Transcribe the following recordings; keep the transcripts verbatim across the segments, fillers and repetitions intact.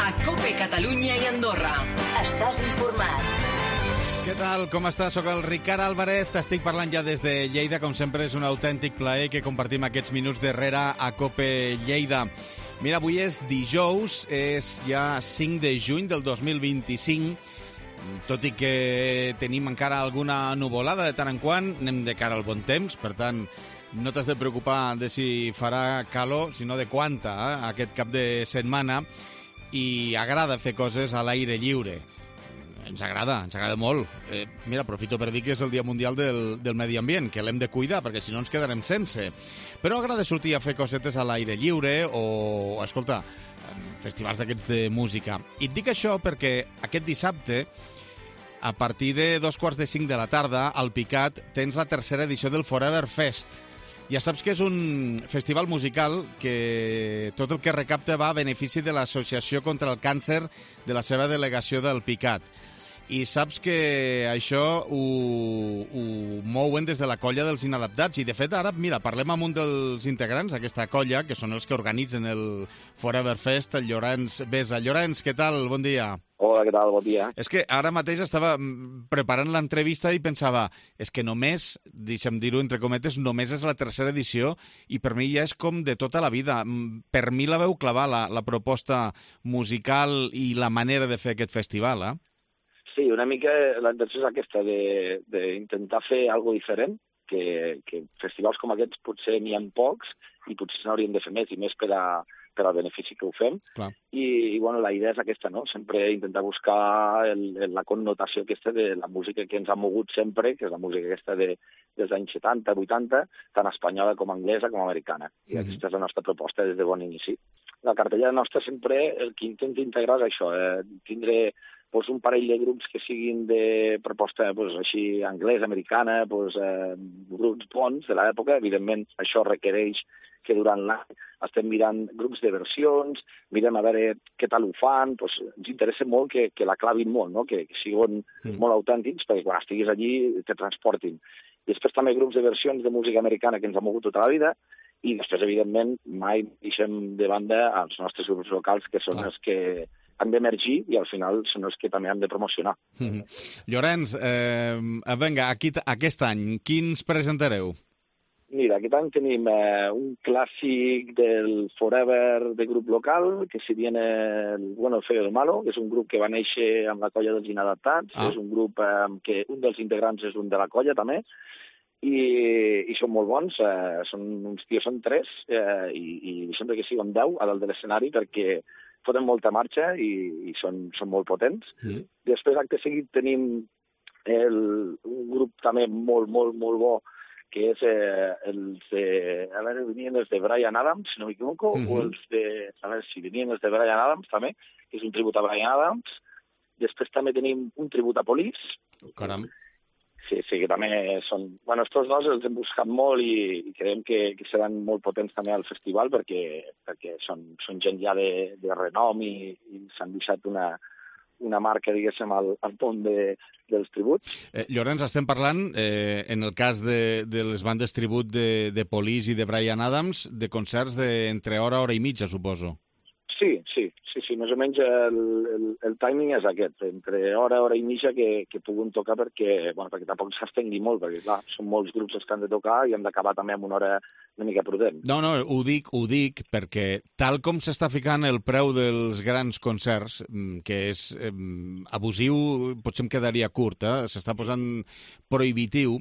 a COPE Catalunya i Andorra. Estàs informat. Què tal? Com estàs? Soc el Ricard Álvarez. T'estic parlant ja des de Lleida. Com sempre, és un autèntic plaer que compartim aquests minuts darrere a COPE Lleida. Mira, avui és dijous, és ja cinc de juny del dos mil vint-i-cinc. Tot i que tenim encara alguna nuvolada de tant en quant, anem de cara al bon temps, per tant, no t'has de preocupar de si farà calor, sinó de quanta, eh, aquest cap de setmana, i agrada fer coses a l'aire lliure. Ens agrada, ens agrada molt. Eh, mira, aprofito per dir que és el Dia Mundial del, del Medi Ambient, que l'hem de cuidar, perquè si no ens quedarem sense. Però agrada sortir a fer cosetes a l'aire lliure o, escolta, festivals d'aquests de música. I et dic això perquè aquest dissabte, a partir de dos quarts de cinc de la tarda, al Picat, tens la tercera edició del Forever Fest. Ja saps que és un festival musical que tot el que recapta va a benefici de l'Associació contra el Càncer de la seva delegació del Picat. I saps que això ho, ho mouen des de la colla dels inadaptats. I, de fet, ara, mira, parlem amb un dels integrants d'aquesta colla, que són els que organitzen el Forever Fest, el Llorenç Besa. Llorenç, què tal? Bon dia. Hola, què tal? Bon dia. És que ara mateix estava preparant l'entrevista i pensava, és que només, deixa'm dir-ho entre cometes, només és la tercera edició i per mi ja és com de tota la vida. Per mi la veu clavar, la, la proposta musical i la manera de fer aquest festival, eh? Sí, una mica la intenció és aquesta, d'intentar fer alguna diferent, que, que festivals com aquests potser n'hi ha pocs i potser se n'haurien de fer més, i més per, a, per al benefici que ho fem. Clar. I, i bueno, la idea és aquesta, no? Sempre intentar buscar el, el, la connotació aquesta de la música que ens ha mogut sempre, que és la música aquesta de, dels anys setanta, vuitanta, tant espanyola com anglesa com americana. I mm-hmm. aquesta és la nostra proposta des de bon inici. La cartellera nostra sempre el que intenta integrar és això, eh, tindre pues, un parell de grups que siguin de proposta pues, així anglesa, americana, pues, eh, grups bons de l'època. Evidentment, això requereix que durant l'any estem mirant grups de versions, mirem a veure què tal ho fan, pues, ens interessa molt que, que la clavin molt, no? que, que siguin mm. molt autèntics, perquè quan estiguis allí te transportin. I després també grups de versions de música americana que ens ha mogut tota la vida, i després, evidentment, mai deixem de banda els nostres grups locals, que són ah. els que han d'emergir i al final són els que també han de promocionar. Mm-hmm. Llorenç, eh, vinga, aquí, aquest any, quins presentareu? Mira, aquest any tenim eh, un clàssic del Forever de grup local, que si viene el Bueno, el Feo, el Malo, que és un grup que va néixer amb la colla dels inadaptats, ah. és un grup eh, que un dels integrants és un de la colla també, i, i són molt bons, eh, són uns tios, són tres, eh, i, i sempre que siguin deu a dalt de l'escenari perquè foten molta marxa i, i són, són molt potents. Mm. Després, acte seguit, tenim el, un grup també molt, molt, molt bo, que és eh, els de... A veure, venien els de Bryan Adams, si no m'equivoco, mm-hmm. o els de... A veure, si venien els de Bryan Adams, també, que és un tribut a Bryan Adams. Després també tenim un tribut a Police. Caram. Sí, sí, que també són... Bueno, estos dos els hem buscat molt i, i creiem que, que seran molt potents també al festival perquè, perquè són, són gent ja de, de renom i, i s'han deixat una, una marca, diguéssim, al, al pont de, dels tributs. Eh, Llorenç, estem parlant, eh, en el cas de, de les bandes tribut de, de Police i de Bryan Adams, de concerts d'entre hora, hora i mitja, suposo. Sí, sí, sí, sí, més o menys el, el, el timing és aquest, entre hora, hora i mitja que, que puguin tocar perquè, bueno, perquè tampoc s'estengui molt, perquè clar, són molts grups els que han de tocar i hem d'acabar també amb una hora una mica prudent. No, no, ho dic, ho dic perquè tal com s'està ficant el preu dels grans concerts, que és eh, abusiu, potser em quedaria curt, eh? S'està posant prohibitiu,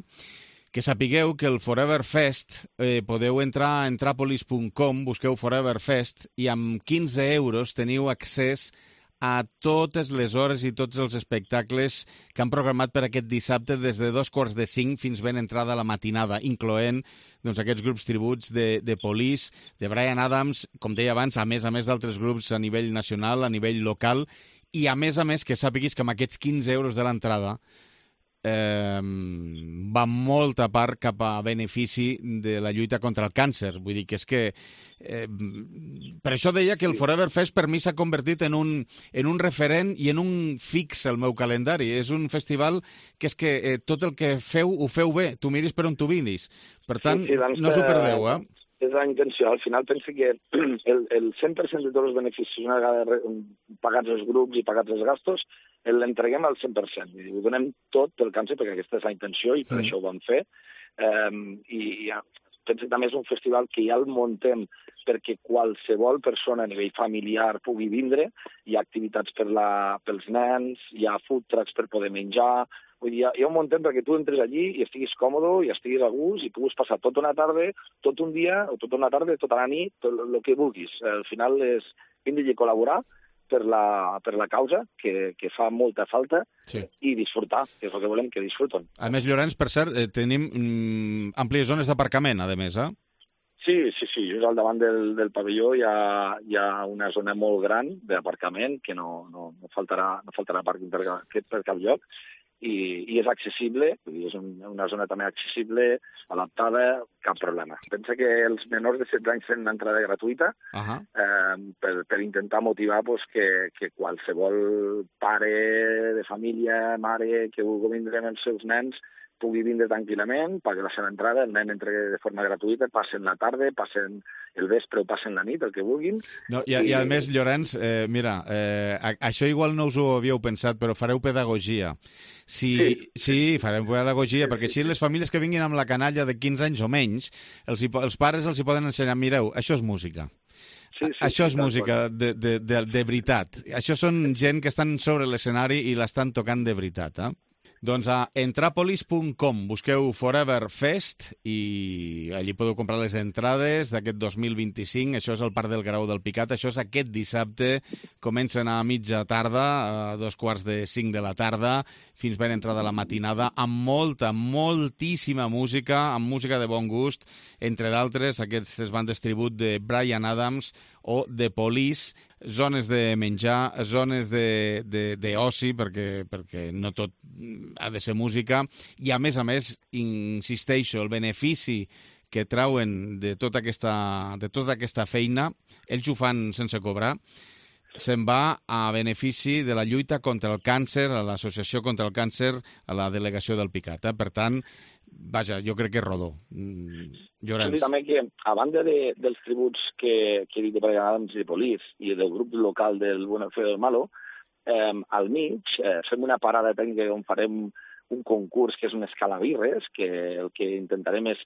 que sapigueu que el Forever Fest eh, podeu entrar a entrapolis punt com, busqueu Forever Fest i amb quinze euros teniu accés a totes les hores i tots els espectacles que han programat per aquest dissabte des de dos quarts de cinc fins ben entrada a la matinada, incloent doncs, aquests grups tributs de, de Police, de Bryan Adams, com deia abans, a més a més d'altres grups a nivell nacional, a nivell local, i a més a més que sàpiguis que amb aquests quinze euros de l'entrada Eh, va molta part cap a benefici de la lluita contra el càncer. Vull dir que és que eh, per això deia que el Forever Fest per mi s'ha convertit en un, en un referent i en un fix al meu calendari. És un festival que és que eh, tot el que feu ho feu bé, tu miris per on tu vinis. Per tant, sí, sí, doncs, no us ho perdeu, eh? és la intenció. Al final penso que el, el cent per cent de tots els beneficis, una vegada pagats els grups i pagats els gastos, l'entreguem al cent per cent. Ho donem tot pel càncer, perquè aquesta és la intenció i per mm. això ho vam fer. Um, I ja, penso que també és un festival que ja el muntem perquè qualsevol persona a nivell familiar pugui vindre. Hi ha activitats per la, pels nens, hi ha food trucks per poder menjar. Vull dir, hi ha un muntem perquè tu entres allí i estiguis còmode i estiguis a gust i puguis passar tota una tarda, tot un dia, o tota una tarda, tota la nit, tot el que vulguis. Al final és vindre i col·laborar per la, per la causa, que, que fa molta falta, sí. I disfrutar, que és el que volem, que disfruten. A més, Llorenç, per cert, eh, tenim mm, àmplies zones d'aparcament, a més, eh? Sí, sí, sí. Just al davant del, del pavelló hi ha, hi ha una zona molt gran d'aparcament, que no, no, no faltarà, no faltarà pàrquing per, per cap lloc, i, i és accessible, vull dir, és un, una zona també accessible, adaptada, cap problema. Pensa que els menors de setze anys tenen entrada gratuïta, uh-huh. eh, per, per intentar motivar pues, que, que qualsevol pare de família, mare, que vulgui vindre amb els seus nens, pugui vindre tranquil·lament, pagui la seva entrada, el nen entra de forma gratuïta, passen la tarda, passen el vespre o passen la nit, el que vulguin. No, i, I a més, Llorenç, eh, mira, eh, això igual no us ho havíeu pensat, però fareu pedagogia. Si, sí. sí, fareu pedagogia, sí, perquè així les famílies que vinguin amb la canalla de quinze anys o menys, els, els pares els hi poden ensenyar, mireu, això és música. Sí, sí, això és sí, música de, de, de, de veritat. Això són gent que estan sobre l'escenari i l'estan tocant de veritat, eh? Doncs a entrapolis punt com busqueu Forever Fest i allí podeu comprar les entrades d'aquest dos mil vint-i-cinc. Això és el Parc del Grau del Picat. Això és aquest dissabte. Comencen a mitja tarda, a dos quarts de cinc de la tarda, fins ben entrada la matinada, amb molta, moltíssima música, amb música de bon gust, entre d'altres aquestes bandes tribut de Bryan Adams o The Police, zones de menjar, zones d'oci, perquè, perquè no tot ha de ser música, i a més a més, insisteixo, el benefici que trauen de tota aquesta, de tota aquesta feina, ells ho fan sense cobrar, se'n va a benefici de la lluita contra el càncer, a l'Associació contra el Càncer, a la delegació del Picat. Eh? Per tant, vaja, jo crec que és rodó. Llorenç. Sí, també que, a banda de, dels tributs que, que he dit de Bryan Adams i de Police i del grup local del Bueno, el Feo del Malo, eh, al mig eh, fem una parada tècnica on farem un concurs que és un escalabirres, que el que intentarem és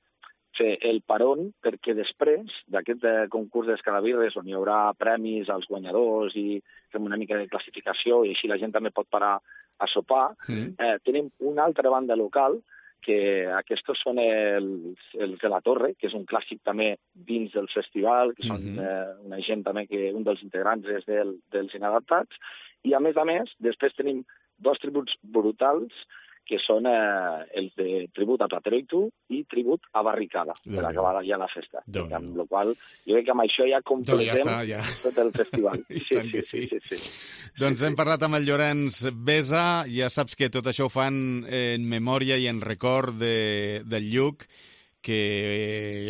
fer el paron perquè després d'aquest concurs d'escalabirres on hi haurà premis als guanyadors i fem una mica de classificació i així la gent també pot parar a sopar, mm. eh, tenim una altra banda local que aquests són els, els de la Torre, que és un clàssic també dins del festival, que són mm-hmm. eh, una gent també que un dels integrants és del, dels Inadaptats, i a més a més, després tenim dos tributs brutals, que són eh, els de tribut a Platero i tu i tribut a Barricada, per acabar ja la festa. Déu amb la qual jo crec que amb això ja completem ja ja. tot el festival. I sí, tant sí, que sí. sí, sí, sí. Doncs hem parlat amb el Llorenç Besa, ja saps que tot això ho fan en memòria i en record de, del Lluc, que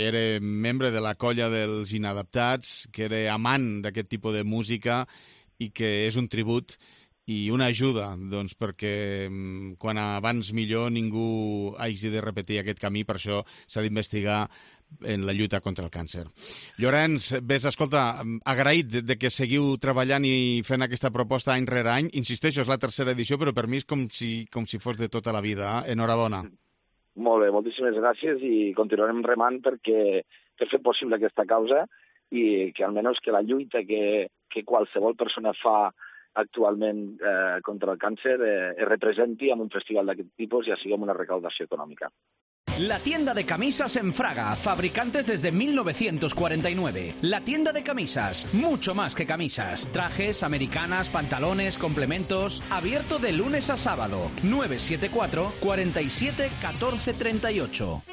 era membre de la colla dels Inadaptats, que era amant d'aquest tipus de música i que és un tribut i una ajuda, doncs, perquè quan abans millor ningú hagi de repetir aquest camí, per això s'ha d'investigar en la lluita contra el càncer. Llorenç, ves, escolta, agraït de, de que seguiu treballant i fent aquesta proposta any rere any. Insisteixo, és la tercera edició, però per mi és com si, com si fos de tota la vida. Eh? Enhorabona. Molt bé, moltíssimes gràcies i continuarem remant perquè per fer possible aquesta causa i que almenys que la lluita que, que qualsevol persona fa actualment eh, contra el càncer eh, es representi en un festival d'aquest tipus i així amb una recaudació econòmica. La tienda de camisas en Fraga, fabricantes desde mil novecientos cuarenta y nueve. La tienda de camisas, mucho más que camisas. Trajes, americanas, pantalones, complementos. Abierto de lunes a sábado. nueve siete cuatro, cuatro siete, uno cuatro tres ocho.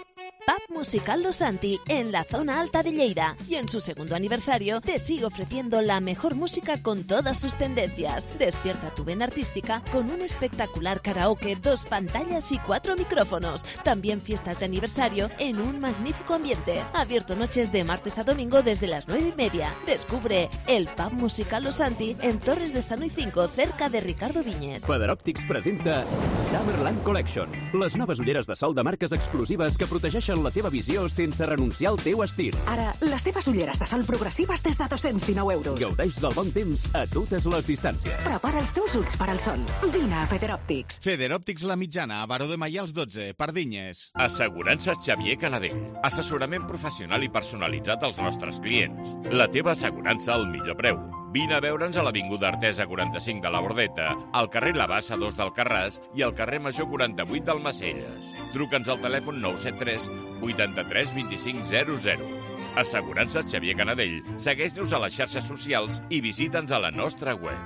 Pub Musical Los Santi, en la zona alta de Lleida. Y en su segundo aniversario te sigue ofreciendo la mejor música con todas sus tendencias. Despierta tu vena artística con un espectacular karaoke, dos pantallas y cuatro micrófonos. También fiestas de aniversario en un magnífico ambiente. Abierto noches de martes a domingo desde las nueve y media. Descubre el Pub Musical Los Santi en Torres de Sano y cinco, cerca de Ricardo Viñes. Federòptics presenta Summerland Collection, les noves ulleres de sol de marques exclusives que protegeixen reforcen la teva visió sense renunciar al teu estil. Ara, les teves ulleres de sol progressives des de dos-cents dinou euros. Gaudeix del bon temps a totes les distàncies. Prepara els teus ulls per al sol. Vine a Federòptics. Federòptics La Mitjana, a Baró de Maials dotze, Pardinyes. Assegurances Xavier Canadell. Assessorament professional i personalitzat als nostres clients. La teva assegurança al millor preu. Vine a veure'ns a l'Avinguda Artesa quaranta-cinc de la Bordeta, al carrer La Bassa dos d'Alcarràs i al carrer Major quaranta-vuit d'Almacelles. Truca'ns al telèfon nou set tres vuitanta-tres vint-i-cinc zero zero. Assegurances Xavier Canadell. Segueix-nos a les xarxes socials i visita'ns a la nostra web.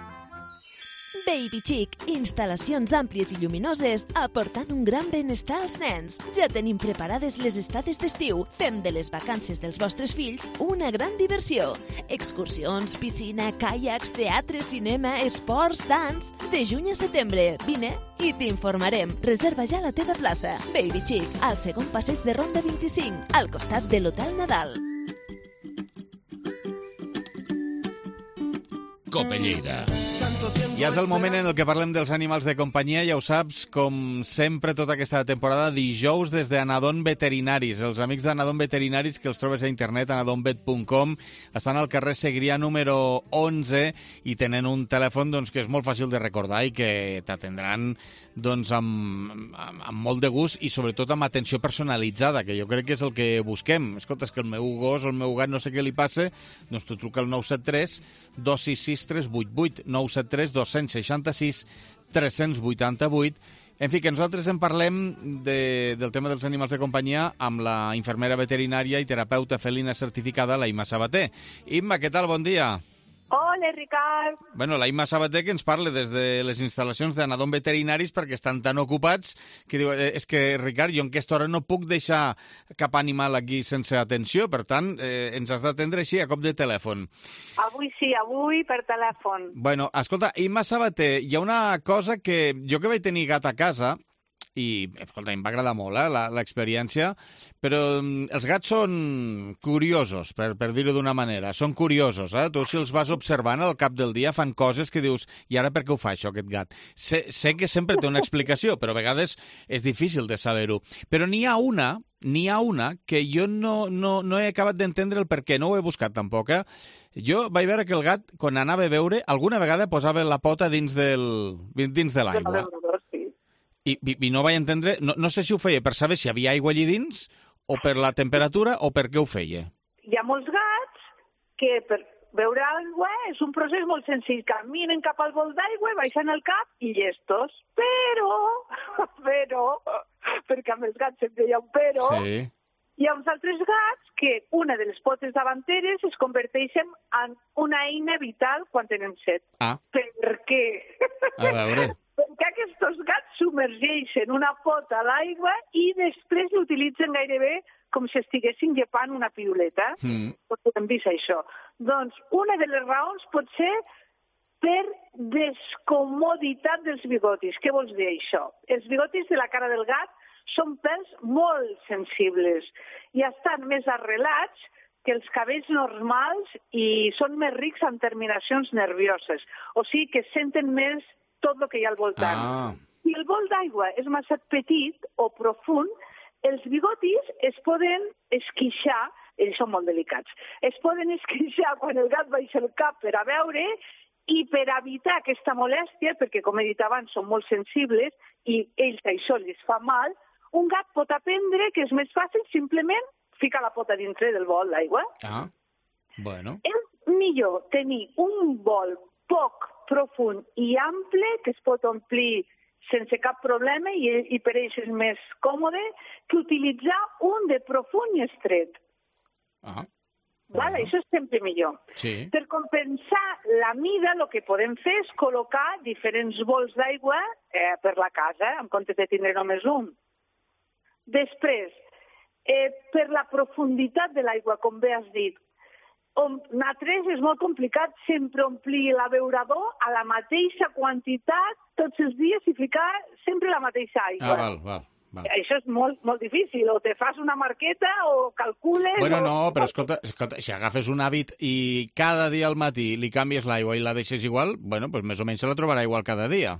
Baby Chic, instal·lacions àmplies i lluminoses aportant un gran benestar als nens. Ja tenim preparades les estades d'estiu. Fem de les vacances dels vostres fills una gran diversió. Excursions, piscina, caiacs, teatre, cinema, esports, dans... De juny a setembre, vine i t'informarem. Reserva ja la teva plaça. Baby Chic, al segon passeig de Ronda vint-i-cinc, al costat de l'Hotel Nadal. Cope Lleida. Ja és el moment en el que parlem dels animals de companyia, ja ho saps, com sempre tota aquesta temporada, dijous des d'Anadon Veterinaris. Els amics d'Anadon Veterinaris, que els trobes a internet, anadonvet punt com, estan al carrer Segrià número onze i tenen un telèfon doncs, que és molt fàcil de recordar i que t'atendran doncs, amb, amb, amb molt de gust i sobretot amb atenció personalitzada, que jo crec que és el que busquem. Escolta, és que el meu gos o el meu gat no sé què li passa, doncs tu truca al nou set tres dos sis sis tres vuit vuit, nou set tres dos sis sis tres vuit vuit. En fi, que nosaltres en parlem de, del tema dels animals de companyia amb la infermera veterinària i terapeuta felina certificada, la Imma Sabater. Imma, què tal? Bon dia. Hola, Ricard. Bueno, la Imma Sabater que ens parla des de les instal·lacions d'Anadon Veterinaris perquè estan tan ocupats que diu, eh, és que, Ricard, jo en aquesta hora no puc deixar cap animal aquí sense atenció, per tant, eh, ens has d'atendre així a cop de telèfon. Avui sí, avui per telèfon. Bueno, escolta, Imma Sabater, hi ha una cosa que jo que vaig tenir gat a casa, i, escolta, em va agradar molt eh, l'experiència, però els gats són curiosos, per, per dir-ho d'una manera. Són curiosos, eh? Tu, si els vas observant al cap del dia, fan coses que dius, i ara per què ho fa això, aquest gat? Sé, sé que sempre té una explicació, però a vegades és difícil de saber-ho. Però n'hi ha una, n'hi ha una que jo no, no, no he acabat d'entendre el per què, no ho he buscat tampoc, eh? Jo vaig veure que el gat, quan anava a beure, alguna vegada posava la pota dins, del, dins de l'aigua. I, i, i no vaig entendre, no, no sé si ho feia per saber si hi havia aigua allí dins, o per la temperatura, o per què ho feia. Hi ha molts gats que per beure aigua és un procés molt senzill. Caminen cap al bol d'aigua, baixen el cap i llestos. Però, però, perquè amb els gats sempre hi ha un però, sí. Hi ha uns altres gats que una de les potes davanteres es converteixen en una eina vital quan tenen set. Ah. Per què? A veure... Perquè aquests gats submergeixen una pota a l'aigua i després l'utilitzen gairebé com si estiguessin llepant una piruleta. Mm. Potser hem vist això. Doncs una de les raons pot ser per descomoditat dels bigotis. Què vols dir això? Els bigotis de la cara del gat són pèls molt sensibles i estan més arrelats que els cabells normals i són més rics en terminacions nervioses. O sigui que senten més tot el que hi ha al voltant. Ah. Si el bol d'aigua és massa petit o profund, els bigotis es poden esquixar, ells són molt delicats, es poden esquixar quan el gat baixa el cap per a veure i per evitar aquesta molèstia, perquè com he dit abans són molt sensibles i ells això els fa mal, un gat pot aprendre que és més fàcil simplement ficar la pota dintre del bol d'aigua. Ah, bueno. És millor tenir un bol poc profund i ample que es pot omplir sense cap problema i, i per ells és més còmode que utilitzar un de profund i estret. Ah. Vale, això és sempre millor. Sí. Per compensar la mida, el que podem fer és col·locar diferents bols d'aigua eh, per la casa, en comptes de tindre només un. Després, eh, per la profunditat de l'aigua, com bé has dit, nosaltres és molt complicat sempre omplir l'abeurador a la mateixa quantitat tots els dies i ficar sempre la mateixa aigua. Ah, val, val, val. Això és molt, molt difícil. O te fas una marqueta o calcules... Bueno, o... no, però escolta, escolta, si agafes un hàbit i cada dia al matí li canvies l'aigua i la deixes igual, bueno, pues més o menys se la trobarà igual cada dia.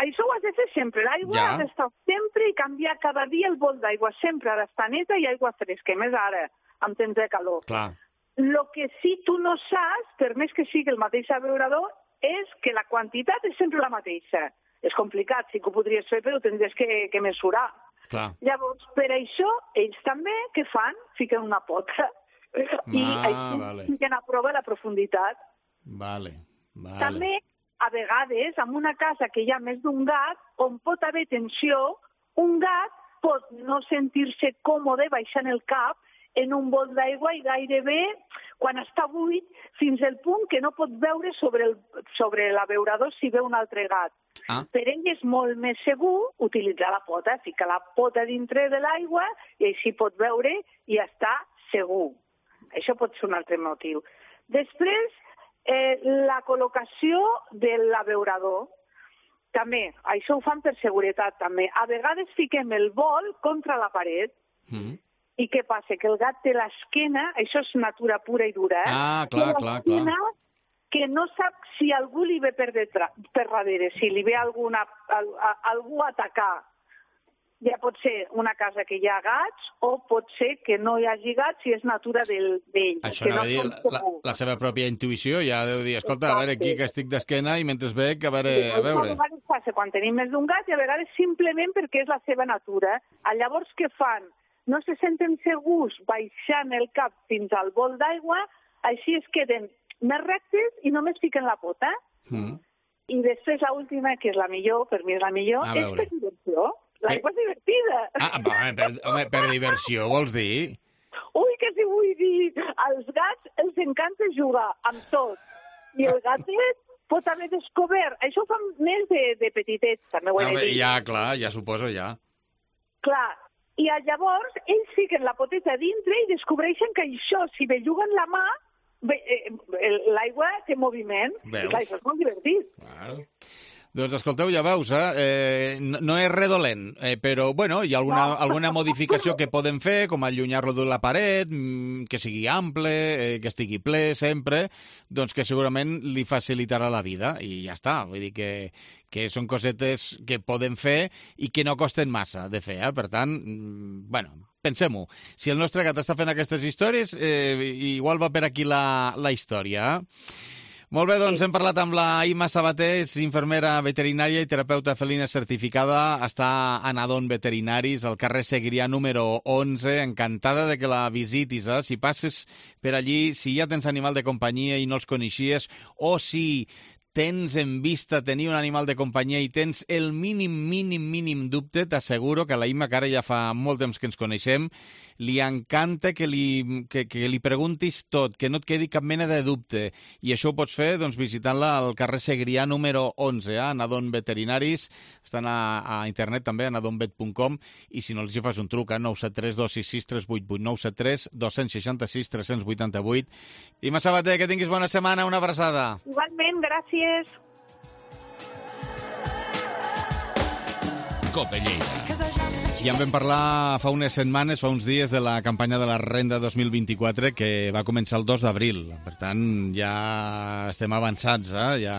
això ho has de fer sempre. L'aigua Ja. ha d'estar sempre i canviar cada dia el bol d'aigua. Sempre ha d'estar neta i aigua fresca. I més ara, amb temps de calor. Clar. Lo que sí tu no saps, per més que sigui el mateix abeurador, és que la quantitat és sempre la mateixa. És complicat, sí que ho podries fer, però ho tindries que, que mesurar. Clar. Llavors, per això, ells també, què fan? Fiquen una pota. I Ah, així vale. fiquen a prova la profunditat. Vale, vale. També, a vegades, en una casa que hi ha més d'un gat, on pot haver tensió, un gat pot no sentir-se còmode baixant el cap en un bol d'aigua i gairebé, quan està buit, fins al punt que no pot veure sobre el, sobre l'abeurador si veu un altre gat. Ah. Per ell és molt més segur utilitzar la pota, ficar la pota dintre de l'aigua i així pot veure i està segur. Això pot ser un altre motiu. Després, eh, la col·locació de l'abeurador. També, això ho fan per seguretat també. A vegades fiquem el bol contra la paret. Mm. I què passa? Que el gat té l'esquena, això és natura pura i dura, eh? Ah, clar, Té clar, l'esquena clar. que no sap si algú li ve per, detrás, per darrere, si li ve alguna, al, a, algú a atacar. Ja pot ser una casa que hi ha gats o pot ser que no hi hagi gats si és natura d'ell. d'ell, Això que anava a dir, són la, segurs. la seva pròpia intuïció ja deu dir, escolta, a veure, aquí que estic d'esquena i mentre veig, a veure, a veure. A vegades passa quan tenim més d'un gat i a vegades simplement perquè és la seva natura. Llavors, què fan? No se senten segurs baixant el cap fins al bol d'aigua, així es queden més rectes i només fiquen la pota. Mm. I després l'última, que és la millor, per mi és la millor, A és veure. per diversió. L'aigua és divertida. Ah, home, per, home, per diversió, vols dir? Ui, que si vull dir, als gats els encanta jugar amb tot. I el gatet pot haver descobert, això ho fan més de, de petitets, també ho he de Home, dir. ja, clar, ja suposo, ja. Clar, i llavors ells fiquen la poteta dintre i descobreixen que això, si belluguen la mà, bé, eh, l'aigua té moviment. Veus? I clar, això és molt divertit. Claro. Doncs escolteu, ja veus, eh? eh no, no és redolent, eh, però bueno, hi ha alguna, No. alguna modificació que podem fer, com allunyar-lo de la paret, mm, que sigui ample, eh, que estigui ple sempre, doncs que segurament li facilitarà la vida i ja està. Vull dir que, que són cosetes que podem fer i que no costen massa de fer, eh? Per tant, mm, bueno, pensem-ho. Si el nostre gat està fent aquestes històries, eh, igual va per aquí la, la història, eh? Molt bé, doncs hem parlat amb la Imma Sabater, és infermera veterinària i terapeuta felina certificada, està a Nadon Veterinaris, al carrer Segrià número onze, encantada de que la visitis, eh? Si passes per allí, si ja tens animal de companyia i no els coneixies, o si tens en vista tenir un animal de companyia i tens el mínim, mínim, mínim dubte, t'asseguro que a la Imma, que ara ja fa molt temps que ens coneixem, li encanta que li, que, que li preguntis tot, que no et quedi cap mena de dubte. I això ho pots fer doncs, visitant-la al carrer Segrià número onze, eh? a Nadon Veterinaris. Estan a, a internet també, a nadonvet punt com, i si no els hi fas un truc a nou set tres dos sis sis tres vuit vuit, nou set tres dos sis sis tres vuit vuit. Imma Sabater, que tinguis bona setmana, una abraçada. Igualment, gràcies. Cope Lleida. Ja en vam parlar fa unes setmanes, fa uns dies, de la campanya de la Renda dos mil vint-i-quatre que va començar el dos d'abril. Per tant, ja estem avançats, eh? Ja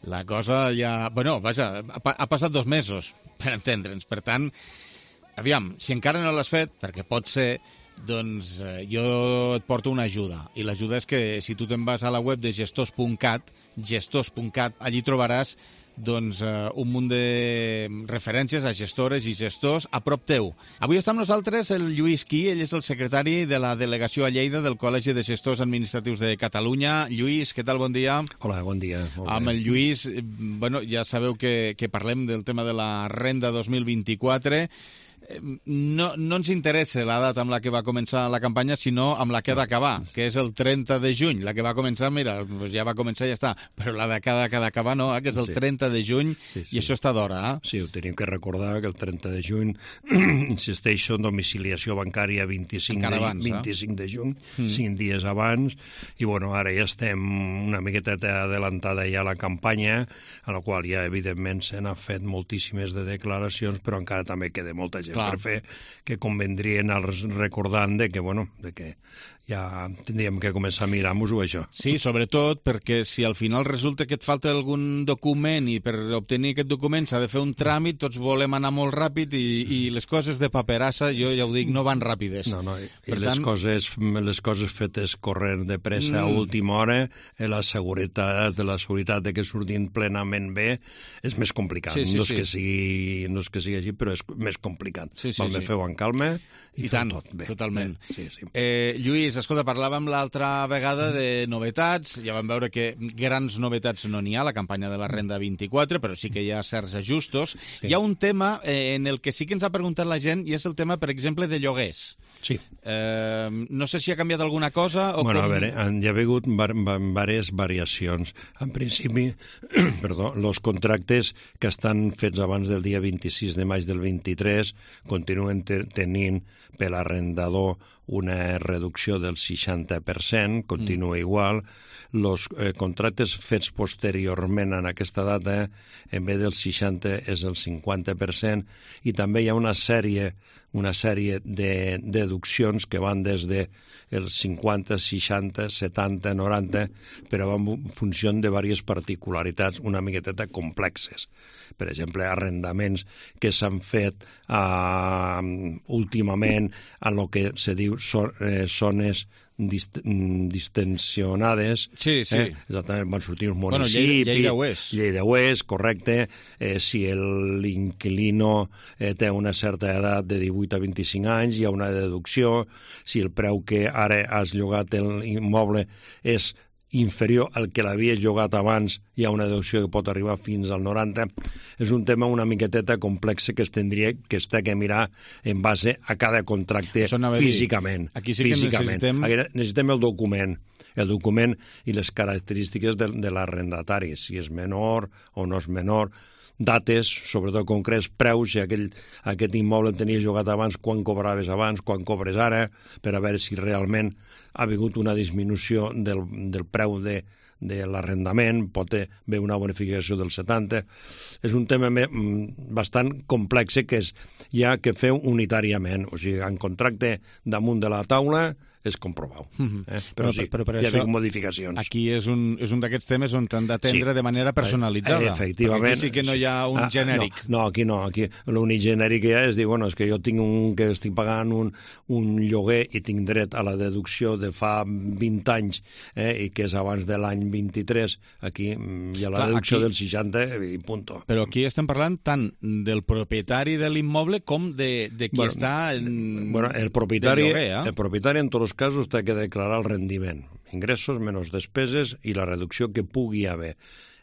la cosa ja... Bueno, vaja, ha, ha passat dos mesos, per entendre'ns. Per tant, aviam, si encara no l'has fet, perquè pot ser, doncs eh, jo et porto una ajuda. I l'ajuda és que si tu te'n vas a la web de gestors punt cat, gestors punt cat, allí trobaràs doncs, uh, un munt de referències a gestores i gestors a prop teu. Avui està amb nosaltres el Lluís Quí, ell és el secretari de la delegació a Lleida del Col·legi de Gestors Administratius de Catalunya. Lluís, què tal? Bon dia. Hola, bon dia. Molt amb bé. el Lluís, bueno, ja sabeu que, que parlem del tema de la Renda dos mil vint-i-quatre. No, no ens interessa la data amb la que va començar la campanya, sinó amb la que ha d'acabar, que és el trenta de juny. La que va començar, mira, doncs ja va començar i ja està. Però la de cada que ha d'acabar no, eh? Que és el Sí. trenta de juny, Sí, sí. i això està d'hora. Eh? Sí, ho tenim que recordar, que el trenta de juny, insisteixo, en domiciliació bancària vint-i-cinc, Encara de, abans, eh? vint-i-cinc de juny, Mm. cinc dies abans, i bueno, ara ja estem una miqueta adelantada ja a la campanya, a la qual ja, evidentment, se n'ha fet moltíssimes de declaracions, però encara també queda molta gent per fer, que convendrien als recordant de que, bueno, de que ja tindríem que començar a mirar-nos-ho, això. Sí, sobretot perquè si al final resulta que et falta algun document i per obtenir aquest document s'ha de fer un tràmit, tots volem anar molt ràpid i, i les coses de paperassa, jo ja ho dic, no van ràpides. No, no, i, per i les, tant... coses, les coses fetes corrent de pressa mm. a última hora, la seguretat, la seguretat de que surtin plenament bé, és més complicat. Sí, sí, no, és sí. que sigui, no és que sigui així, però és més complicat. Sí, sí, Val sí. fer-ho en calma i, I tant, tot bé. Totalment. Bé, sí, sí. Eh, Lluís, escolta, parlàvem l'altra vegada de novetats, ja vam veure que grans novetats no n'hi ha, la campanya de la Renda vint-i-quatre, però sí que hi ha certs ajustos. Sí. Hi ha un tema eh, en el que sí que ens ha preguntat la gent, i és el tema, per exemple, de lloguers. Sí. Eh, no sé si ha canviat alguna cosa o bueno, com... a veure, hi ha hagut diverses variacions. En principi, perdó, els contractes que estan fets abans del dia vint-i-sis de maig del vint-i-tres continuen tenint per l'arrendador una reducció del seixanta per cent, continua mm. igual. Els eh, contractes fets posteriorment en aquesta data, en vez del seixanta és el cinquanta per cent, i també hi ha una sèrie una sèrie de deduccions que van des de el cinquanta, seixanta, setanta, noranta, però en funció de diverses particularitats una miqueteta complexes. Per exemple, arrendaments que s'han fet uh, últimament en el que se diu so, eh, zones dist distensionades. Sí, sí. Eh? Exactament, van sortir uns municipis. Bueno, Lleida, Lleida Oest. Lleida Oest, correcte. Eh, si l'inquilino eh, té una certa edat de divuit a vint-i-cinc anys, hi ha una deducció. Si el preu que ara has llogat l'immoble és inferior al que l'havies llogat abans, hi ha una deducció que pot arribar fins al noranta. És un tema una miqueteta complex que es tindria que estar que mirar en base a cada contracte físicament. Aquí sí que físicament. necessitem... Necessitem el document, el document i les característiques de, de l'arrendatari, si és menor o no és menor, dates, sobretot concrets, preus, si aquell, aquest immoble tenies llogat abans, quan cobraves abans, quan cobres ara, per a veure si realment ha hagut una disminució del, del preu de, de l'arrendament, pot haver una bonificació del setanta. És un tema bastant complex que és, hi ha que fer unitàriament, o sigui, en contracte damunt de la taula és comprovar. Mm-hmm. eh? Però, però sí, però per hi ha això, modificacions. Aquí és un, és un d'aquests temes on t'han d'atendre sí. de manera personalitzada. Eh, efectivament. Aquí sí que no hi ha un ah, genèric. No, no, aquí no. Aquí l'únic genèric que hi ha és dir, bueno, és que jo tinc un, que estic pagant un, un lloguer i tinc dret a la deducció de fa vint anys eh, i que és abans de l'any vint-i-tres. Aquí hi ha la Clar, deducció aquí, del seixanta i punto. Però aquí estem parlant tant del propietari de l'immoble com de, de qui bueno, està en, bueno, el propietari, lloguer. Eh? El propietari en tots els casos té que declarar el rendiment, ingressos menys despeses i la reducció que pugui haver.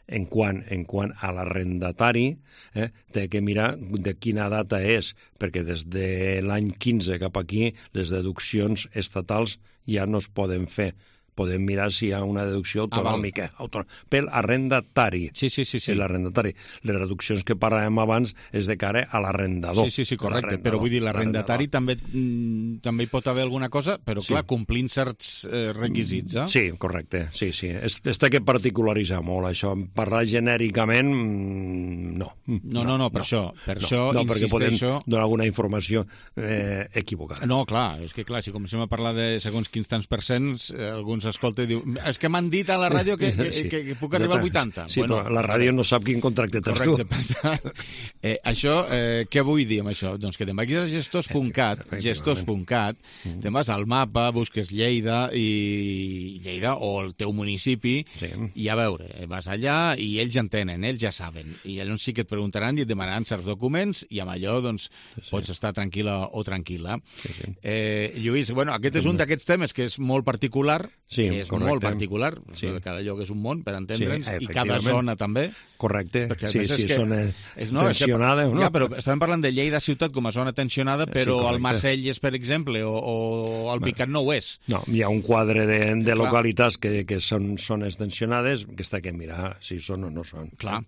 En quant, en quant a l'arrendatari, eh, té que mirar de quina data és, perquè des de l'any quinze cap aquí les deduccions estatals ja no es poden fer. Podem mirar si hi ha una deducció autonòmica, ah, autonòmica per l'arrendatari. Sí, sí, sí. sí. L'arrendatari. Les reduccions que parlàvem abans és de cara a l'arrendador. Sí, sí, sí, correcte. Però vull dir, l'arrendatari també, mm, també hi pot haver alguna cosa, però sí. clar, complint certs eh, requisits, eh? Sí, correcte. Sí, sí. Es, es té que particularitzar molt, això. Parlar genèricament, mm, no. No, no, no, no per no, això. Per no, això no, insisteixo... perquè podem donar alguna informació eh, equivocada. No, clar, és que clar, si comencem a parlar de segons quins tants percents, eh, alguns escolta i diu, és que m'han dit a la ràdio que, que, que, que puc arribar al vuitanta. Sí, bueno, però la ràdio no sap quin contracte tens tu. Correcte. eh, això, eh, què vull dir amb això? Doncs que te'n vagis a gestors punt cat, gestors punt cat, mm. te'n vas al mapa, busques Lleida i Lleida o el teu municipi sí. i a veure, vas allà i ells ja entenen, ells ja saben. I llavors sí que et preguntaran i et demanaran certs documents i amb allò doncs sí, sí. pots estar tranquil·la o tranquil·la. Sí, sí. Eh, Lluís, bueno, aquest és un d'aquests temes que és molt particular, sí, que és correcte. molt particular, sí. cada lloc és un món, per entendre'ns, sí, i cada zona també. Correcte, sí, sí, que, zona és, no, tensionada. Que, no? Ja, però estàvem parlant de Lleida ciutat com a zona tensionada, però sí, el Macelles, per exemple, o, o el Picat no ho és. No, hi ha un quadre de, de localitats que, que són zones tensionades que està que mirar si són o no són. Clar.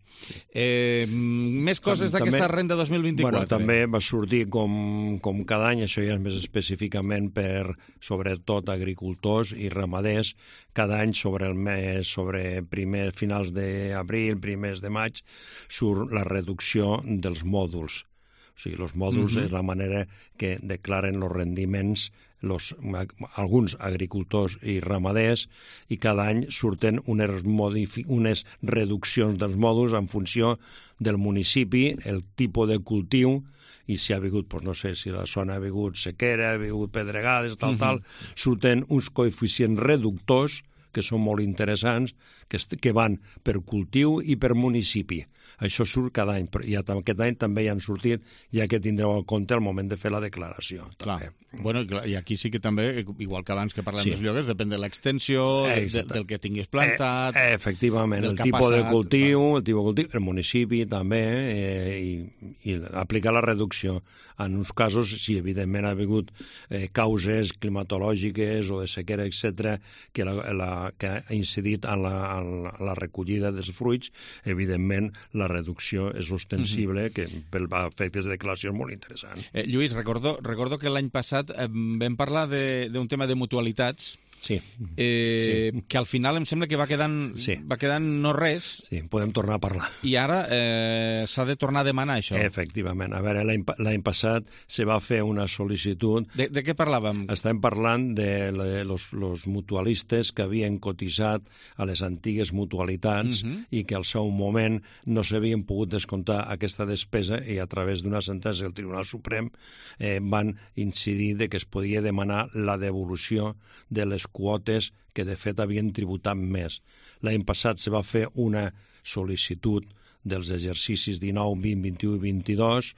Eh, més coses d'aquesta renda dos mil vint-i-quatre. Bueno, també va sortir com, com cada any, això ja és més específicament per, sobretot, agricultors i ramaders, cada any sobre el mes, sobre primer, finals d'abril, primers de maig, surt la reducció dels mòduls. O sigui, els mòduls uh-huh. és la manera que declaren els rendiments los, alguns agricultors i ramaders, i cada any surten unes, modifi- unes reduccions dels mòduls en funció del municipi, el tipus de cultiu, i si ha vingut, doncs no sé, si la zona ha vingut sequera, ha vingut pedregades, tal, uh-huh. tal, surten uns coeficients reductors que són molt interessants, que, que van per cultiu i per municipi. Això surt cada any, i aquest any també hi han sortit, ja que tindreu en compte al moment de fer la declaració. Clar. Bueno, i aquí sí que també, igual que abans que parlem sí. dels lloguers, depèn de l'extensió, eh, de, del que tinguis plantat... Eh, efectivament, el tipus de cultiu, el tipus de cultiu, el municipi també, eh, i, i aplicar la reducció. En uns casos, si evidentment ha hagut eh, causes climatològiques o de sequera, etcètera, que, la, la, que ha incidit en la, en la recollida dels fruits, evidentment la reducció és ostensible, mm-hmm. que per efectes de declaració és molt interessant. Eh, Lluís, recordo, recordo que l'any passat eh, vam parlar d'un tema de mutualitats, sí. Eh, sí. que al final em sembla que va quedant, sí. va quedant no res. Sí, podem tornar a parlar. I ara eh, s'ha de tornar a demanar això. Efectivament. A veure, l'any passat se va fer una sol·licitud... De, de què parlàvem? Estem parlant de los, los mutualistes que havien cotitzat a les antigues mutualitats uh-huh. i que al seu moment no s'havien pogut descomptar aquesta despesa, i a través d'una sentència del Tribunal Suprem eh, van incidir de que es podia demanar la devolució de les quotes que de fet havien tributat més. L'any passat se va fer una sol·licitud dels exercicis dinou, vint, vint-i-u i vint-i-dos.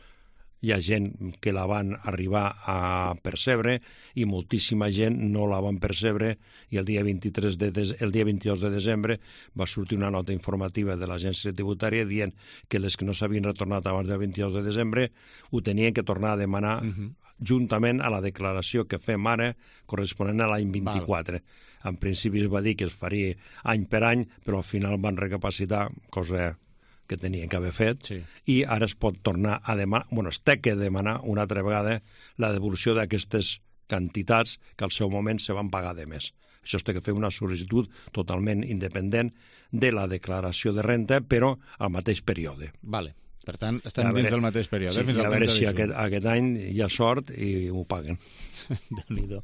Hi ha gent que la van arribar a percebre i moltíssima gent no la van percebre, i el dia, vint-i-tres de des... el dia vint-i-dos de desembre va sortir una nota informativa de l'agència tributària dient que les que no s'havien retornat abans del vint-i-dos de desembre ho tenien que tornar a demanar uh-huh. juntament a la declaració que fem ara corresponent a l'any vint-i-quatre. Val. En principi es va dir que es faria any per any, però al final van recapacitar, cosa que tenien que haver fet, sí. i ara es pot tornar a demanar, bueno, es té que demanar una altra vegada la devolució d'aquestes quantitats que al seu moment se van pagar de més. Això es té que fer una sol·licitud totalment independent de la declaració de renta, però al mateix període. Vale. Per tant, estem veure, dins del mateix període. Sí, eh? Fins a veure si aquest, aquest any hi ha sort i ho paguen. Déu-n'hi-do.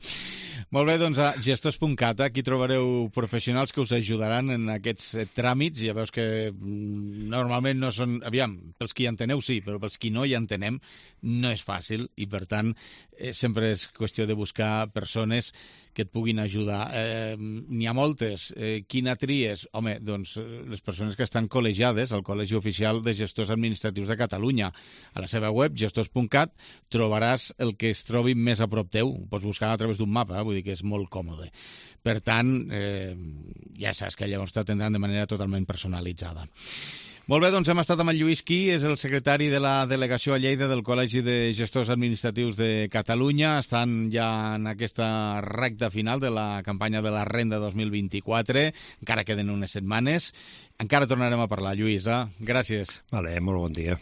Molt bé, doncs a gestors punt cat aquí trobareu professionals que us ajudaran en aquests tràmits. Ja veus que normalment no són... Aviam, pels qui hi enteneu sí, però pels qui no hi entenem no és fàcil, i per tant eh, sempre és qüestió de buscar persones que et puguin ajudar. Eh, N'hi ha moltes. Eh, quina tries? Home, doncs les persones que estan col·legiades al Col·legi Oficial de Gestors Administratius de Catalunya. A la seva web, gestors punt cat, trobaràs el que es trobi més a prop teu. Ho pots buscar a través d'un mapa, eh? Vull dir que és molt còmode. Per tant, eh, ja saps que llavors t'atendran de manera totalment personalitzada. Molt bé, doncs hem estat amb el Lluís Quí, és el secretari de la delegació a Lleida del Col·legi de Gestors Administratius de Catalunya. Estan ja en aquesta recta final de la campanya de la Renda dos mil vint-i-quatre. Encara queden unes setmanes. Encara tornarem a parlar, Lluís. Eh? Gràcies. Vale, molt bon dia.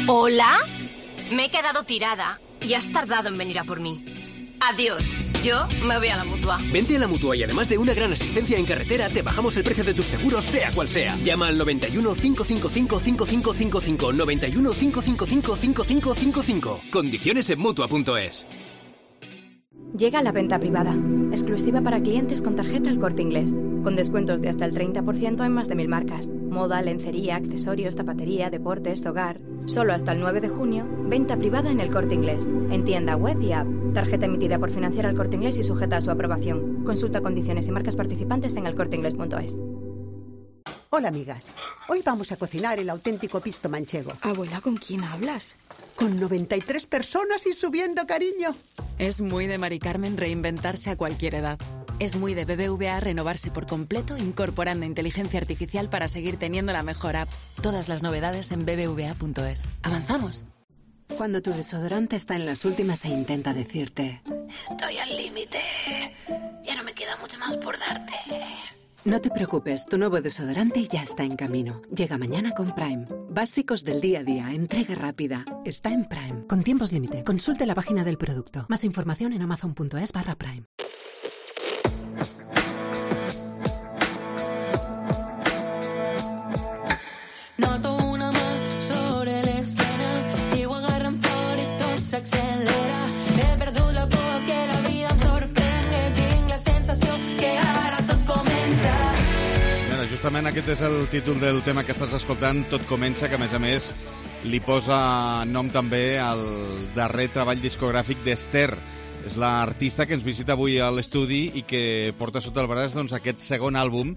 ¿Hola? Me he quedado tirada y has tardado en venir a por mí. Adiós. Yo me voy a la Mutua. Vente a la Mutua y además de una gran asistencia en carretera, te bajamos el precio de tus seguros, sea cual sea. Llama al noventa y uno, cinco cinco cinco, cinco cinco cinco cinco, noventa y uno, cinco cinco cinco, cinco cinco cinco cinco. Condiciones en Mutua punto es. Llega la venta privada, exclusiva para clientes con tarjeta El Corte Inglés, con descuentos de hasta el treinta por ciento en más de mil marcas. Moda, lencería, accesorios, zapatería, deportes, hogar. Solo hasta el nueve de junio, venta privada en El Corte Inglés, en tienda web y app. Tarjeta emitida por Financiera El Corte Inglés y sujeta a su aprobación. Consulta condiciones y marcas participantes en el corte inglés punto es. Hola, amigas. Hoy vamos a cocinar el auténtico pisto manchego. Abuela, ¿con quién hablas? Con noventa y tres personas y subiendo, cariño. Es muy de Mari Carmen reinventarse a cualquier edad. Es muy de B B V A renovarse por completo, incorporando inteligencia artificial para seguir teniendo la mejor app. Todas las novedades en b b v a punto es. ¿Avanzamos? Cuando tu desodorante está en las últimas e intenta decirte: estoy al límite, ya no me queda mucho más por darte. No te preocupes, tu nuevo desodorante ya está en camino. Llega mañana con Prime. Básicos del día a día, entrega rápida. Está en Prime. Con tiempos límite. Consulte la página del producto. Más información en amazon punto es barra Prime. Noto una más sobre la esquina, igual justament aquest és el títol del tema que estàs escoltant, Tot comença, que a més a més li posa nom també al darrer treball discogràfic d'Ester. És l'artista que ens visita avui a l'estudi i que porta sota el braç doncs, aquest segon àlbum,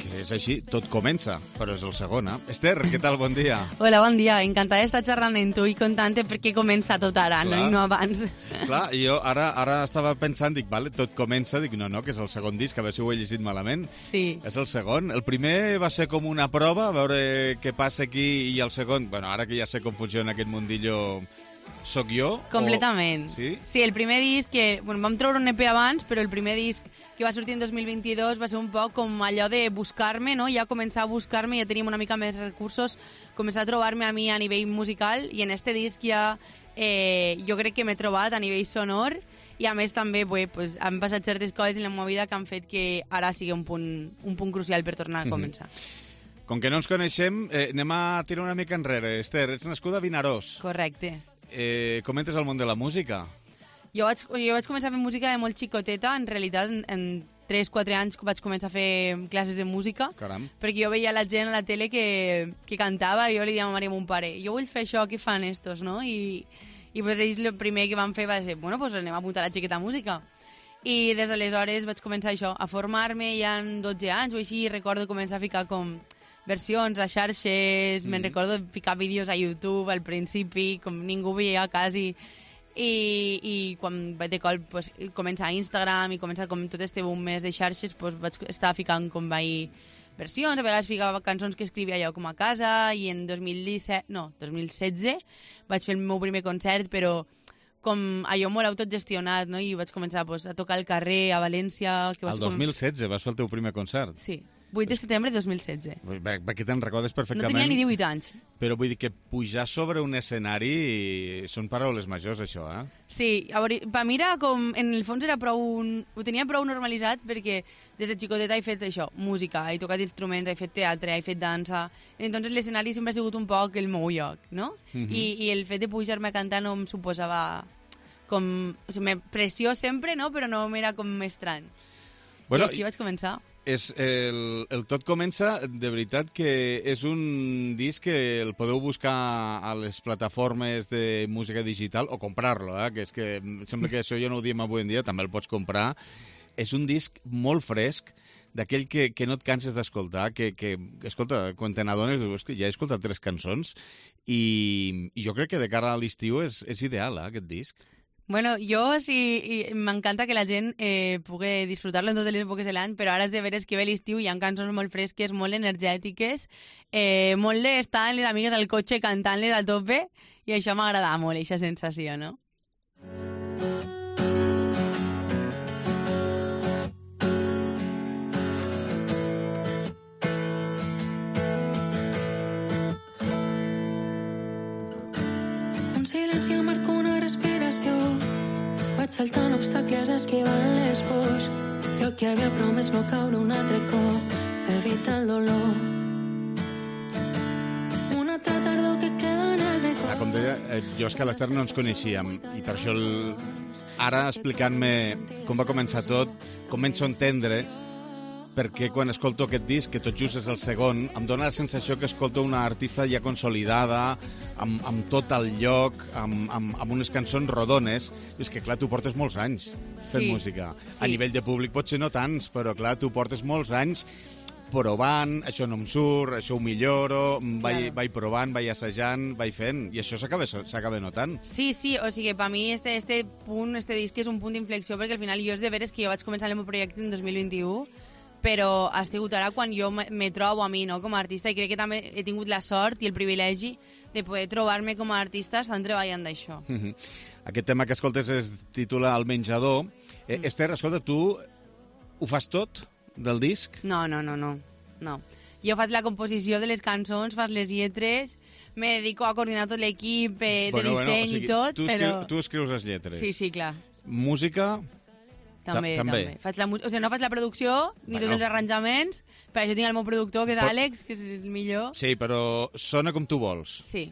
que és així, Tot comença, però és el segon, eh? Ester, què tal? Bon dia. Hola, bon dia. Encantada d'estar xerrant amb tu i contant-te perquè comença tot ara, no? I no abans. Clar, i jo ara, ara estava pensant, dic, vale, Tot comença, dic, no, no, que és el segon disc, a veure si ho he llegit malament. Sí. És el segon. El primer va ser com una prova, a veure què passa aquí, i el segon, bueno, ara que ja sé com funciona aquest mundillo, soc jo? Completament. O... Sí? Sí, el primer disc, que bueno, vam treure un E P abans, però el primer disc que va sortir en dos mil vint-i-dos va ser un poc com allò de buscar-me, no? Ja començar a buscar-me, ja teníem una mica més recursos, començar a trobar-me a mi a nivell musical, i en este disc ja eh, jo crec que m'he trobat a nivell sonor, i a més també bé, pues, han passat certes coses en la meva vida que han fet que ara sigui un punt, un punt crucial per tornar a començar. Mm-hmm. Com que no ens coneixem, eh, anem a tirar una mica enrere. Ester, ets nascuda a Vinaròs. Correcte. Eh, com entres al món de la música? Jo vaig, jo vaig començar a fer música de molt xicoteta, en realitat en, en tres quatre anys vaig començar a fer classes de música. Caram. Perquè jo veia la gent a la tele que, que cantava i jo li deia a ma mare i a mon pare, jo vull fer això, què fan estos, no? I, i pues ells el primer que van fer va ser, bueno, pues anem a apuntar la xiqueta a música. I des d'aleshores vaig començar això, a formar-me ja en dotze anys o així, i recordo començar a ficar com versions a xarxes, mm. me'n recordo ficar vídeos a YouTube al principi, com ningú veia quasi. I, i quan vaig de col pues, començar a Instagram i començar com tot este boom més de xarxes, pues, vaig estar ficant com vaig versions, a vegades ficava cançons que escrivia jo com a casa, i en dos mil disset, no, dos mil setze vaig fer el meu primer concert, però com allò molt autogestionat, no? I vaig començar pues, a tocar al carrer, a València... Que el dos mil setze com... vas fer el teu primer concert? Sí, vuit de setembre de dos mil setze. Aquí te'n recordes perfectament. No tenia ni divuit anys. Però vull dir que pujar sobre un escenari són paraules majors, això, eh? Sí, a veure, per mi era com... En el fons era prou... Ho tenia prou normalitzat perquè des de xicoteta he fet això, música, he tocat instruments, he fet teatre, he fet dansa... Entonces l'escenari sempre ha sigut un poc el meu lloc, no? Uh-huh. I, I el fet de pujar-me a cantar no em suposava com... O sigui, pressió sempre, no? Però no m'era com estrany. Bueno, I així vaig començar. És el, el Tot comença, de veritat que és un disc que el podeu buscar a les plataformes de música digital o comprar-lo, eh? Que és que sembla que això ja no ho diem avui en dia, també el pots comprar. És un disc molt fresc, d'aquell que, que no et canses d'escoltar, que, que, escolta, quan te n'adones, dius que ja he escoltat tres cançons i, i jo crec que de cara a l'estiu és, és ideal, eh, aquest disc. Bueno, jo sí, m'encanta que la gent eh, pugui disfrutar-lo en totes les èpoques de l'any, però ara és de veres que ve l'estiu i hi ha cançons molt fresques, molt energètiques, eh, molt d'estar amb les amigues al cotxe cantant-les a tope, i això m'agrada molt, aquesta sensació, no? Un silenci marca una respiració. Vaig saltant obstacles esquivant les pors. Jo que havia promès no caure un altre cop, evitar el dolor. Una altra tardor que queda en el record. Ah, com deia, eh, jo és que a l'Ester no ens coneixíem i per això el... ara explicant-me com va començar tot, començo a entendre perquè quan escolto aquest disc, que tot just és el segon, em dóna la sensació que escolto una artista ja consolidada, amb, amb tot el lloc, amb, amb, amb unes cançons rodones. És que, clar, tu portes molts anys fent sí, música. Sí. A nivell de públic potser no tants, però, clar, tu portes molts anys provant, això no em surt, això ho milloro, vaig, Claro. vaig provant, vaig assajant, vaig fent, i això s'acaba s'acaba notant. Sí, sí, o sigui, per mi este, este punt, este disc és un punt d'inflexió, perquè al final jo és de veres que jo vaig començar el meu projecte en dos mil vint-i-u, però ha sigut ara quan jo me, me trobo a mi, no?, com a artista, i crec que també he tingut la sort i el privilegi de poder trobar-me com a artista estant treballant d'això. Mm-hmm. Aquest tema que escoltes es titula El menjador. Eh, mm. Ester, escolta, tu ho fas tot del disc? No, no, no, no, no. Jo faig la composició de les cançons, fas les lletres, me dedico a coordinar tot l'equip eh, de bueno, disseny bueno, o sigui, i tot, tu però... Escriu, tu escrius les lletres. Sí, sí, clar. Música... També, també. també. Faig la, o sigui, no faig la producció, ni Bueno. tots els arranjaments, per això tinc el meu productor, que és Però- Àlex, que és el millor. Sí, però sona com tu vols. Sí.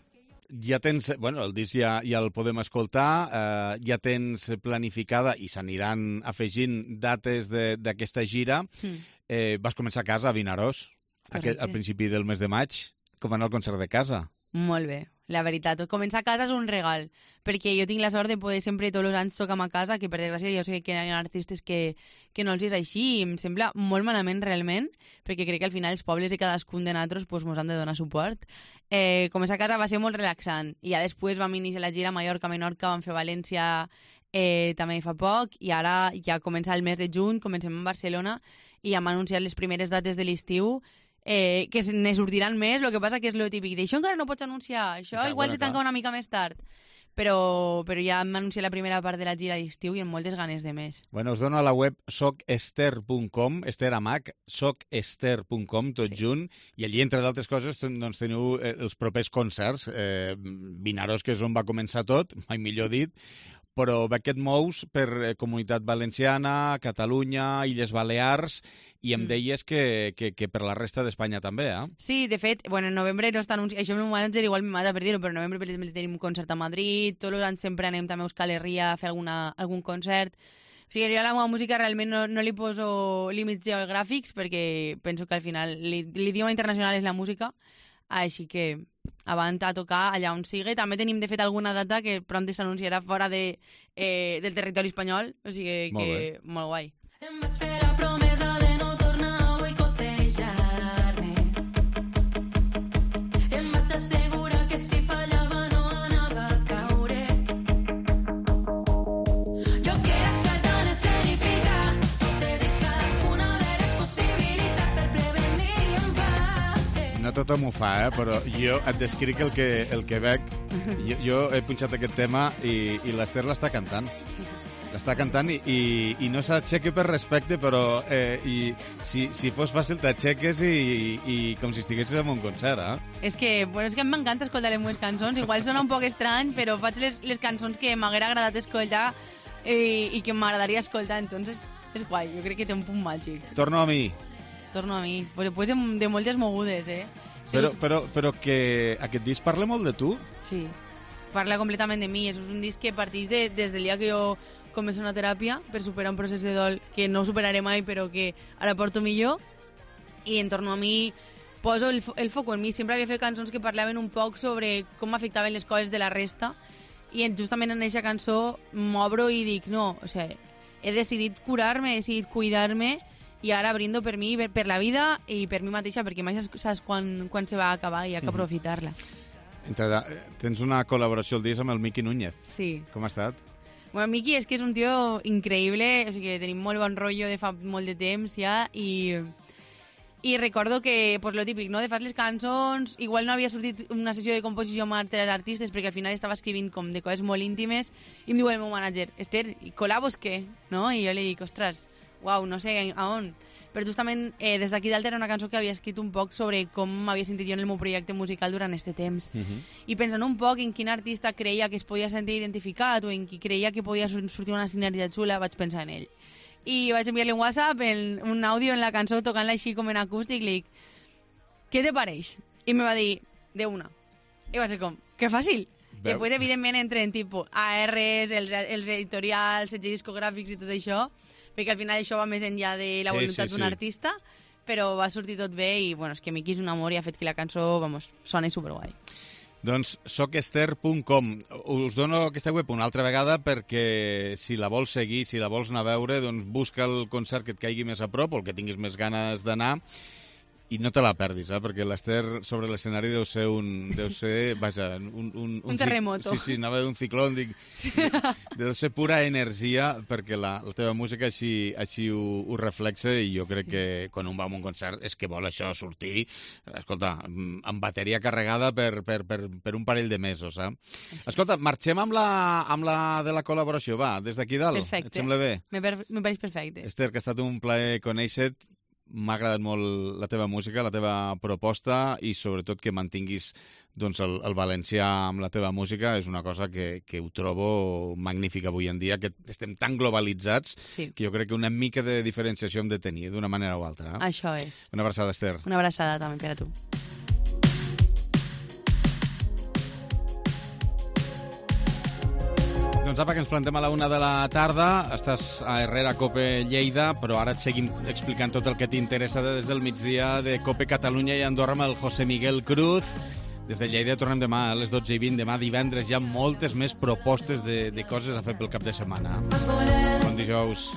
Ja tens... Bueno, el disc ja, ja el podem escoltar, eh, ja tens planificada, i s'aniran afegint dates de- d'aquesta gira. Mm. Eh, vas començar a casa, a Vinaròs. Aquest, al principi del mes de maig, com va anar el concert de casa? Molt bé, la veritat. Començar a casa és un regal, perquè jo tinc la sort de poder sempre tots els anys tocar a casa, que per desgràcia jo sé que hi ha artistes que, que no els és així, i em sembla molt malament realment, perquè crec que al final els pobles de cadascun de nosaltres pues, mos han de donar suport. Eh, començar a casa va ser molt relaxant, i ja després vam iniciar la gira a Mallorca, Menorca, vam fer València eh, també fa poc, i ara ja comença el mes de juny, comencem a Barcelona, i ja hem anunciat les primeres dates de l'estiu, Eh, que ne sortiran més, el que passa que és lo típic d'això encara no pots anunciar, això clar, igual bueno, se tanca clar. una mica més tard, però, però ja hem anunciat la primera part de la gira d'estiu i amb moltes ganes de més. Bueno, us dono a la web soc ester punt com, Ester amb H, soc ester punt com, tot sí. junt, i allí, entre d'altres coses, doncs, teniu els propers concerts. Eh, Vinaros, que és on va començar tot, mai millor dit, però veig que et mous per Comunitat Valenciana, Catalunya, Illes Balears, i em mm. deies que, que, que per la resta d'Espanya també, eh? Sí, de fet, bueno, en novembre no està anunciat, això el meu manager igual me mata per dir-ho, però en novembre, per exemple, tenim un concert a Madrid, tots els anys sempre anem també a Euskal Herria a fer alguna, algun concert. O sigui, jo a la meva música realment no, no li poso límits geogràfics, perquè penso que al final l'idioma internacional és la música, així que avant a tocar allà on sigui. També tenim, de fet, alguna data que pront s'anunciarà fora de, eh, del territori espanyol, o sigui que molt, molt guai. Em vaig fer la promesa de no tornar a boicotejar-me. Em vaig assegurar que si fallava no anava a caure. Jo que era experta en escenificar totes i cadascuna de les possibilitats per prevenir i empat. No tothom ho fa, eh? Però jo et descric el que, el que veig. Jo, jo he punxat aquest tema i, i l'Ester l'està cantant. L'està cantant i, i, i no s'aixeca per respecte, però eh, i, si, si fos fàcil t'aixeques i, i, i com si estiguessis en un concert, eh? És que, bueno, és que m'encanta escoltar les meves cançons. Igual sona un poc estrany, però faig les, les cançons que m'haguera agradat escoltar i, i que m'agradaria escoltar, entonces és guai. Jo crec que té un punt màgic. Torno a mi. Torno a mi. Pues després de moltes mogudes, eh? Però, però, però que aquest disc parla molt de tu? Sí, parla completament de mi. És un disc que parteix de, des del dia que jo començo una teràpia per superar un procés de dol que no superaré mai, però que ara porto millor. I en torno a mi poso el, el foc en mi. Sempre havia fet cançons que parlaven un poc sobre com m'afectaven les coses de la resta, i justament en aquesta cançó m'obro i dic, no, o sigui, he decidit curar-me, he decidit cuidar-me, i ara brindo per mi, per, per la vida i per mi mateixa, perquè mai saps quan, quan se va acabar i hi ha que aprofitar-la. Entre, tens una col·laboració al disc amb el Miqui Núñez. Sí. Com ha estat? Bueno, Miqui és que és un tio increïble, o sigui que tenim molt bon rotllo de fa molt de temps ja, i, i recordo que, pues, lo típic, no?, de fas les cançons, igual no havia sortit una sessió de composició amb altres artistes, perquè al final estava escrivint com de coses molt íntimes, i em diu el meu manager, Ester, i col·labos què? No? I jo li dic, ostres, uau, no sé a on. Però justament eh, des d'aquí dalt era una cançó que havia escrit un poc sobre com m'havia sentit jo en el meu projecte musical durant aquest temps. Uh -huh. I pensant un poc en quin artista creia que es podia sentir identificat o en qui creia que podia sortir una sinergia xula, vaig pensar en ell. I vaig enviar-li un WhatsApp, en, un àudio en la cançó, tocant-la així com en acústic, li dic, què te pareix? I me va dir, de una. I va ser com, que fàcil. Veus? Després, evidentment, entren tipus A Rs, els, els editorials, els discogràfics i tot això, perquè al final això va més enllà de la voluntat sí, sí, d'un sí. artista, però va sortir tot bé i, bueno, és que Miqui és un amor i ha fet que la cançó, vamos, soni superguai. Doncs soc ester punt com. Us dono aquesta web una altra vegada perquè si la vols seguir, si la vols anar a veure, doncs busca el concert que et caigui més a prop o el que tinguis més ganes d'anar i no te la perdis, eh? Perquè l'Ester sobre l'escenari deu ser un... Deu ser, vaja, un... Un, un, un terremoto. Sí, sí, anava d'un ciclón, dic... Sí. Deu ser pura energia perquè la, la teva música així, així ho, ho reflexa i jo crec que quan un va a un concert és que vol això sortir, escolta, amb bateria carregada per, per, per, per un parell de mesos, eh? Escolta, marxem amb la, amb la de la col·laboració, va, des d'aquí dalt. Perfecte. Et sembla bé? Me, per, me pareix perfecte. Ester, que ha estat un plaer conèixer-te. M'ha agradat molt la teva música, la teva proposta i sobretot que mantinguis doncs, el, el valencià amb la teva música. És una cosa que, que ho trobo magnífica avui en dia, que estem tan globalitzats sí. que jo crec que una mica de diferenciació hem de tenir d'una manera o altra. Eh? Això és. Una abraçada, Ester. Una abraçada també per a tu. Doncs apa, que ens plantem a la una de la tarda. Estàs a Herrera, Cope Lleida, però ara et seguim explicant tot el que t'interessa des del migdia de Cope Catalunya i Andorra amb el José Miguel Cruz. Des de Lleida tornem demà a les dotze i vint. Demà divendres hi ha moltes més propostes de, de coses a fer pel cap de setmana. Bon dijous.